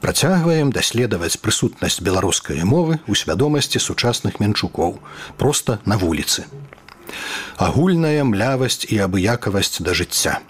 Працягваем даследаваць прысутнасць беларускай мовы ў свядомасці сучасных менчукоў, проста на вуліцы. Агульная млявасць і абыякавасць да жыцця.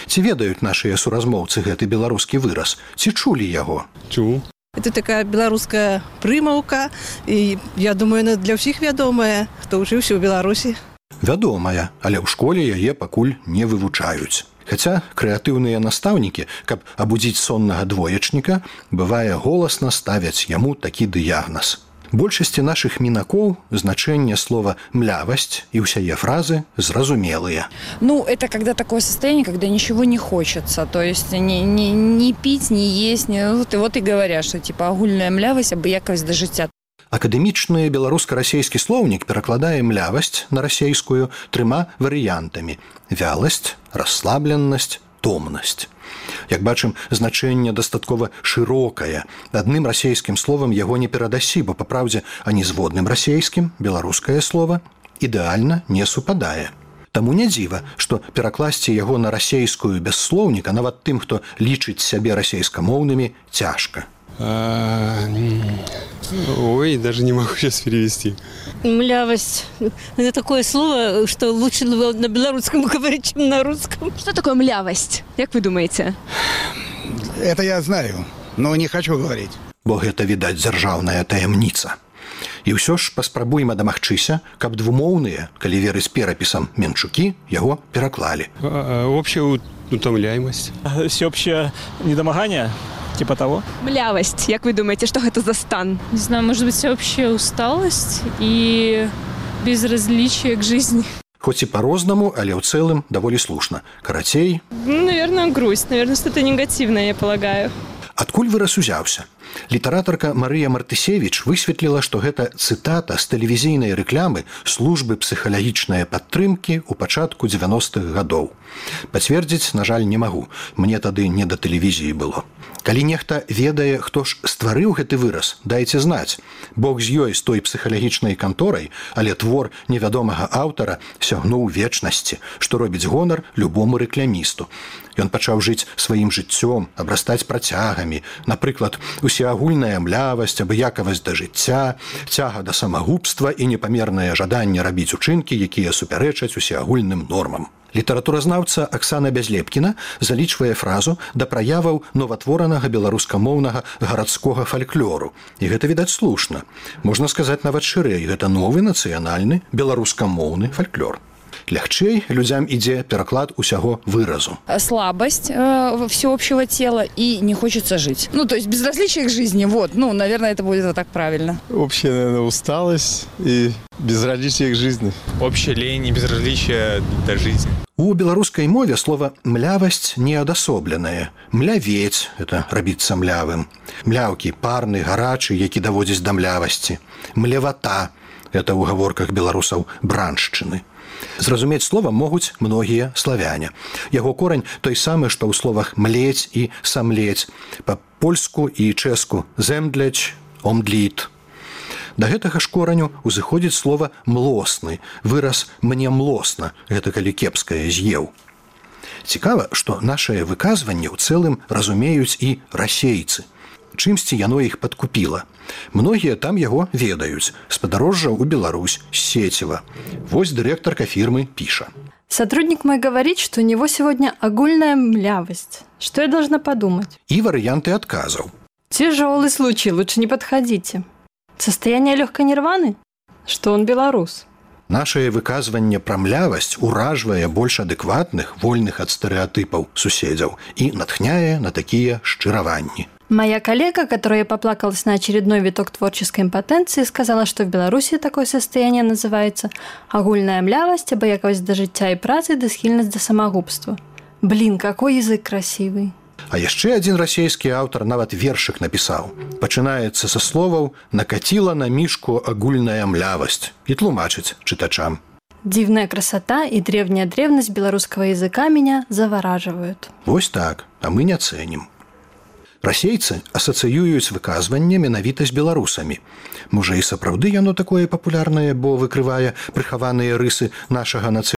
Ці ведаюць нашыя суразмоўцы гэты беларускі выраз? Ці чулі яго? Чуў. Это такая беларуская прымаўка, і я думаю, она для ўсіх вядомая, хто ўчыўся ў Беларусі. Вядомая, але ў школе яе пакуль не вывучаюць. Хаця крэатыўныя настаўнікі, каб абудзіць соннага двоечніка, бывае голасна ставяць яму такі дыягназ. Большасці нашых мінакоў значэнне слова «млявасць» и ўсяе фразы зразумелыя. Ну, это когда такое состояние, когда ничего не хочется. То есть не пить, не есть. Вот и говорят, что типа агульная млявасць, абыякавасць да жыцця. Акадэмічны беларуска-расейскі слоўнік перакладае млявасць на расейскую 3 варыянтамі: вяласць, расслабленасць, томнасць. Як бачым, значэнне дастаткова шырокае. Адным расейскім словам яго не перадасі, бо, па праўдзе, ані з водным расейскім беларускае слова ідэальна не супадае. Таму не дзіва, што перакласці яго на расейскую без слоўніка нават тым, хто лічыць сябе расейскамоўнымі, цяжка. Ой, даже не могу сейчас перевести. Млявость. Это такое слово, что лучше на белорусском говорить, чем на русском. Что такое млявость? Как вы думаете? Это я знаю, но не хочу говорить. Бо гэта, відаць, дзяржаўная таямніца. І ўсё ж паспрабуем дамагчыся, каб двумоўныя, калі верыць перапісам, менчукі яго пераклалі. Общая утомляемость. Всеобщее недомогание? Типа того. Млявость. Как вы думаете, что это за стан? Не знаю, может быть, всеобщая усталость и безразличие к жизни. Хоць і по-рознаму, але ў цэлым даволі слушна. Карацей... Наверное, грусть. Наверное, что-то негативное, я полагаю. Адкуль выраз узяўся? Літаратарка Марыя Мартысевіч высветліла, што гэта цытата з тэлевізійнай рэклямы службы псіхалагічнай падтрымкі ў пачатку 90-х гадоў. Пацвердзіць, на жаль, не магу. Мне тады не да тэлевізіі было. Калі нехта ведае, хто ж стварыў гэты выраз, дайце знаць. Бог з ёй, з той псіхалагічнай канторай, але твор невядомага аўтара сягнуў вечнасці, што робіць гонар любому рэклямісту. Ён пачаў жыць сваім жыццём, абрастаць працягамі, напрыклад, усеагульная млявасць, абыякавасць да жыцця, цяга да самагубства і непамернае жаданне рабіць учынкі, якія супярэчаць усеагульным нормам. Літаратуразнаўца Аксана Бязлепкіна залічвае фразу да праяваў новатворанага беларускамоўнага гарадскога фальклору. І гэта, відаць, слушна. Можна сказаць нават шырэй, гэта новы нацыянальны беларускамоўны фальклор. Лягчэй людзям ідзе пераклад усяго выразу. Слабость всеобщего тела и не хочется жить. Ну, то есть безразличие к жизни, вот. Ну, наверное, это будет вот так правильно. Общая, наверное, усталость и безразличие к жизни. Общая лень и безразличие до жизни. У беларускай мове слова «млявасць» неадасобленае. «Млявець» – это рабіцца млявым. «Мляўкі» – парны, гарачы, які даводзіць да млявасці. «Млевата» – это ў гаворках беларусаў браншчыны. Зразумець слова могуць многія славяне. Яго корань той самы, што ў словах «млець» і «самлець», па-польску і чэску «земдляць», «омдліт». Да гэтага ж кораню узыходзіць слова «млосны», выраз «мне млосна», гэта калі кепскае з'еў. Цікава, што нашае выказванне ў цэлым разумеюць і расейцы. Чымсьці яно іх падкупіла. Многія там яго ведаюць. З падарожжаў у Беларусь, з Сеціва. Вось дырэктарка фірмы піша. Сотрудник мой говорит, что у него сегодня огульная млявость. Что я должна подумать? И варианты отказов. Тяжелый случай, лучше не подходите. Состояние легкой нирваны? Что он белорус? Нашае выказванне пра млявасць уражвае больш адэкватных, вольных ад стэрэатыпаў суседзяў і натхняе на такія шчыраванні. Моя коллега, которая поплакалась на очередной виток творческой импотенции, сказала, что в Беларуси такое состояние называется агульная млявасць, абыякавасць да жыцця і працы, да схільнасць да самагубства. Блин, какой язык красивый. А яшчэ адзін расейскі аўтар нават вершык напісаў. Пачынаецца са словаў «накаціла на мішку агульная млявасць» і тлумачыць чытачам. Дивная красота и древняя древность белорусского языка меня завораживают. Вось так, а мы не цэнім. Расейцы асацыююць выказванне менавіта з беларусамі. Можа, і сапраўды яно такое папулярнае, бо выкрывае прыхаваныя рысы нашага нацыянальнага